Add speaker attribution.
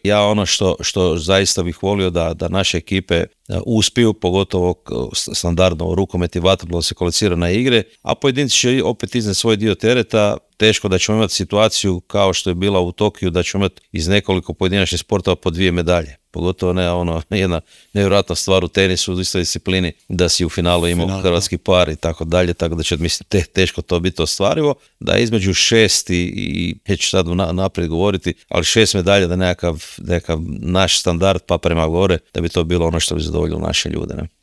Speaker 1: Ja ono što zaista bih volio da naše ekipe uspiju, pogotovo standardno u rukomet i vaterpolo se kvalificira na igre, a pojedinci će opet iznijeti svoj dio tereta. Teško da ćemo imati situaciju kao što je bila u Tokiju, da ćemo imati iz nekoliko pojedinačnih sportova po 2 medalje. Pogotovo ne jedna nevjerojatna stvar u tenisu, u istoj disciplini, da si u finalu imao hrvatski par i tako dalje, tako da će mislim teško to biti ostvarivo. Da između 6 i neću sad naprijed govoriti, ali 6 medalja da nekakav naš standard pa prema gore, da bi to bilo ono što bi zadovoljilo naše ljude. Ne?